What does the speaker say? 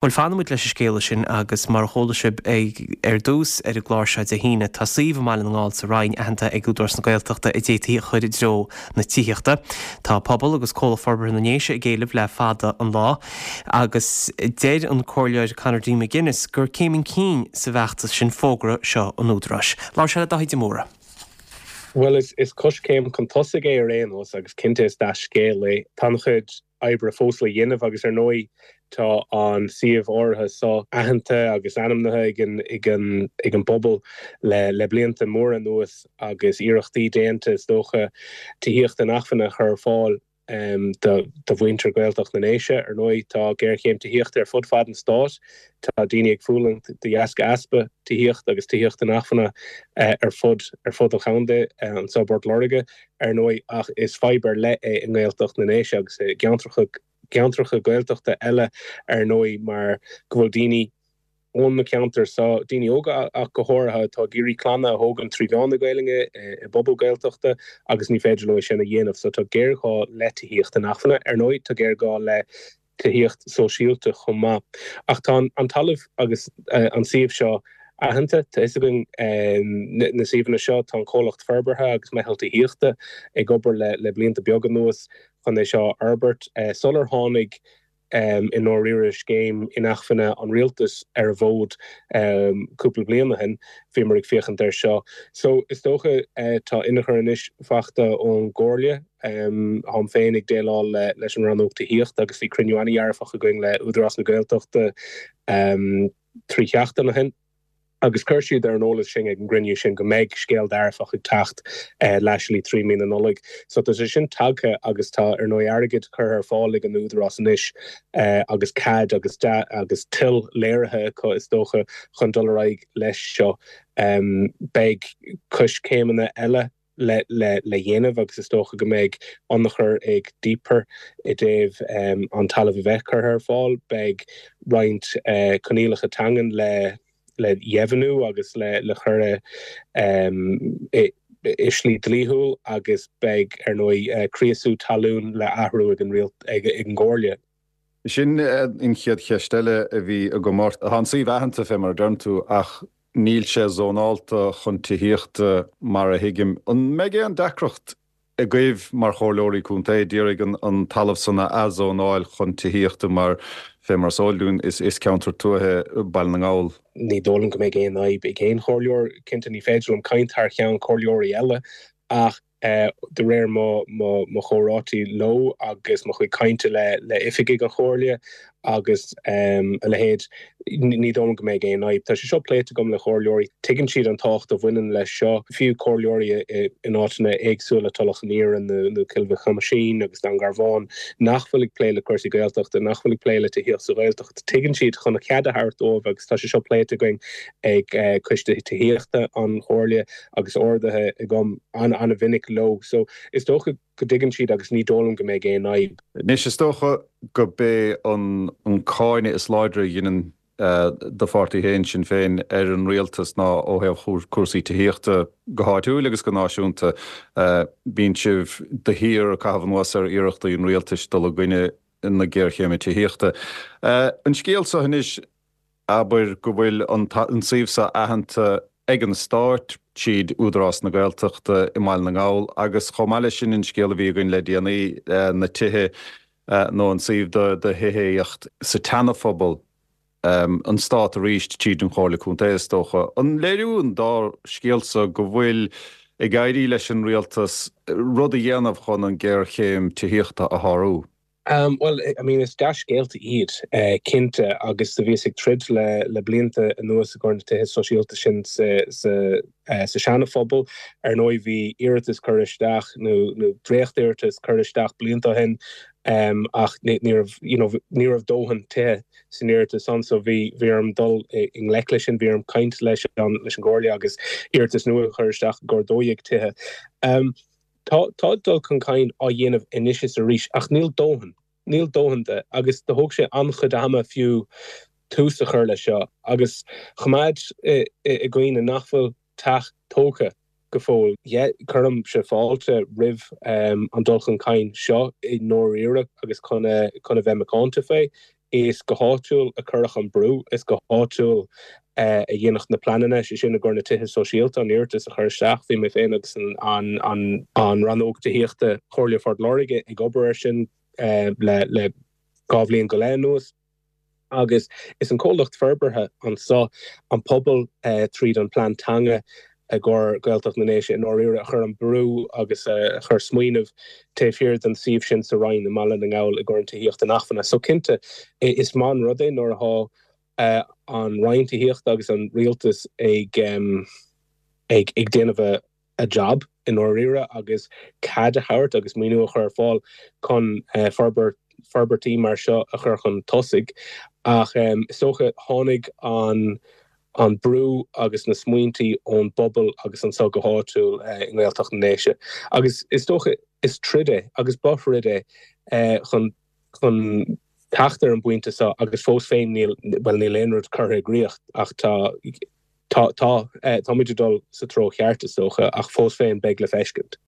Bhuel, fanfaimid leis an scéala sin agus mar a chuala sibh ar dtús ar an gclár seo Dé hAoine, tá suíomh i mBaile na nGall sa Rinn aitheanta ag Údarás na Gaeltachta a d'fhéadfaí a chur i dtreo na tithíochta. Tá pobal agus Comhlacht Forbartha na nDéise ag éileamh le fada an lá agus deir an Comhairleoir Conor D McGuinness gur céim chun cinn sa bhfeachtas sin fógra seo an Údaráis. Labhair sé le Dáithí de Mórdha. Bhuel, is coiscéim chun tosaigh é ar aon nós agus cinnte is dea-scéal é. Tá an-chuid oibre fós le dhéanamh agus ar ndóigh tá an suíomh áirithe seo aitheanta agus ainmnithe ag an ag an ag an bpobal le le blianta móra anuas agus iarrachtaí déanta is dócha tithíocht inacmhainne a chur ar fáil do do mhuintir Ghaeltacht na nDéise. Ar ndóigh tá géarchéim tithíochta ar fud fad an stáit, tá daoine ag fulaingt de dheasca easpa tithíochta agus tithíocht inacmhainne ar fud ar fud an chontae anseo i bPort Láirge. ar ndóigh, ach is fadhb ar leith é i nGaeltacht na nDéise agus i gceantracha gceantracha Gaeltachta eile, ar ndóigh, mar go bhfuil daoine ón na ceantair seo, daoine óga ach go háirithe, atá ag iarraidh clanna a thógaint trí mheán na Gaelainne i bpobal Gaeltachta agus ní féidir leo é sin a dhéanamh. So tá géarghá le tithíocht inacmhainne. Ar ndóigh, tá géarghá le tithíocht sóisialta chomh maith. Ach tá an talamh agus an suíomh seo aitheanta, tá fhios againn na suíomhanna seo, tá an comhlacht forbartha agus meitheal tithíochta ag obair le blianta beaga anuas chun é seo a fhorbairt. Sular tháinig i ndáiríre scéim inacmhainne an rialtais ar an bhfód cúpla bliain ó shin, bhíomar ag féachaint air seo. So is dócha tá ionchur anois faighte ón gComhairle. Táim féin ag déileáil leis an rannóg tithíochta agus bhí cruinniú an-dhearfach againn le Údarás na Gaeltachta 3 sheachtain ó shin agus chuir siad ar an eolas sinn ag an gcruinniú sin go mbeidh scéal dearfach ag teacht laistigh 3 mí na Nollag. So tá sé sin tagtha agus tá ar ndóigh airgead curtha ar fáil ag an Údarás anois agus cead agus agus toil léirithe acu is dócha chun dul ar aghaidh leis seo. Beidh coiscéimeanna eile le dhéanamh agus is dócha go mbeidh ionchur ag DPER i dtaobh an talamh a bheith curtha ar fáil. Beidh roinnt coinníollacha teangan le le dheimhniú agus le chur i i slí dlíthiúil agus beidh, ar ndóigh, criosú talún le athrú ag an ag an gComhairle. Sin an chéad cheist eile a bhí agam ort. Tá an suíomh aitheanta, fé mar a deireann tú, ach níl sé zónálta chun tithíochta mar a thuigim. An mbeidh aon deacracht agaibh mar chomhairleoirí contae d'iarraidh an talamh san a athzónáil chun tithíochta mar, fé mar is eol dúinn, is ceantar tuaithe Baile na nGall? Ní dóigh liom go mbeidh aon fhadhb ag aon chomhairleoir. Cinnte, ní féidir liom caint thar cheann comhairleoirí eile ach de réir mo chomhráití leo agus mo chuid cainte le oifigigh an Chomhairle agus a leithéid, ní dóigh liom go mbeidh aon fhadhb. Tá sé seo pléite agam le comhairleoirí. Tuigeann siad an tábhacht a bhaineann leis seo, fiú comhairleoirí in áiteanna éagsúla, Tulach an Iarainn nó Cill Mhic Thomáisín agus Dún Garbhán, nach bhfuil ag plé le cúrsaí Gaeltachta, nach bhfuil ag plé le tithíocht sa Ghaeltacht. Tuigeann siad chun cead a thabhairt dóibh agus tá sé seo pléite againn ag Coiste Tithíochta an Chomhairle agus ardaithe agam an-mhinic leo. So, is dócha go dtuigeann siad agus ní dóigh liom go mbeidh aon fhadhb. Anois, is dócha go b'é an cáineadh is láidre a dheineann do pháirtí féin, Sinn Féin, ar an rialtas ná ó thaobh cúrsaí tithíochta go háitiúil agus go náisiúnta. Bíonn sibh de shíor ag caitheamh anuas ar iarrachtaí an rialtais dul i gcoinne na géarchéime tithíochta. An scéal seo anois, Abair go bhfuil an suíomh seo aitheanta ag an Stát tríd Údarás na Gaeltachta i mBaile na nGall agus chomh maith leis sin an scéal a bhí againn le déanaí, na tithe nó an suíomh do thithíocht sa tSeana-Phobal, an Stát arís tríd an Chomhairle Contae is dócha. An léiriú an dá scéal seo go bhfuil ag éirí leis an Rialtas rud a dhéanamh chun an géarchéim tithíochta a shárú? Bhuel, I mean, is dea-scéalta iad, cinnte, agus do bhíos ag troid le le blianta anuas i gcomhair na tithe sóisialta sin sa sa sa Seana-Phobal. Ar ndóigh, bhí iarratas curtha isteach, nó nó dréacht-iarratas curtha isteach blianta ó shin, ach ní ní raibh, you know, ní raibh dóthain tithe san iarratas san, so bhí bhí orm dul i ngleic leis sin, bhí orm caint leis an leis an gComhairle agus iarratas nua a chur isteach i gcomhair 12 tithe. Tá, tá dul chun cinn á dhéanamh anois is arís, ach níl dóthain. Níl dóthain de, agus do thóg sé an-chuid ama fiú tús a chur leis seo. Agus choimeád i gcuimhne nach bhfuil teach tógtha go fóill. Yeah, cuirimse fáilte roimh an dul chun cinn seo i ndáiríre agus chun a, chun a bheith macánta fé. Is go háitiúil a cuireadh an brú, is go háitiúil a dhéanadh na pleananna, sé sin i gcomhair na tithe sóisialta, an iarratas a chur isteach. Bhí mé féin agus an Rannóg Tithíochta Chomhairle Phort Láirge ag obair air sin le 2 bhliain go leith anuas. Agus is an comhlacht forbartha anso, an pobal tríd an plean teanga i gcomhair Gaeltacht na nDéise i ndáiríre a chuir an brú agus a chuir smaoineamh taobh thiar den suíomh sin sa Rinn i mBaile na nGall i gcomhair an tithíocht inacmhainne. So cinnte is maith an rud é nuair atá an Roinn Tithíochta agus an Rialtas ag ag déanamh a a job i ndáiríre agus cead a thabhairt agus maoiniú a chur ar fáil chun forbairt forbairtí mar seo a chur chun tosaigh. Ach is dócha tháinig an an brú agus na smaointí ón bpobal agus anso go háitiúil i nGaeltacht na nDéise. Agus is dócha is troid é agus ba throid é chun chun teacht ar an bpointe seo agus fós féin níl, bhuel níl aon rud curtha i gcrích ach tá tá tá táimid ag dul sa treo cheart is dócha ach fós féin beidh le feiscint.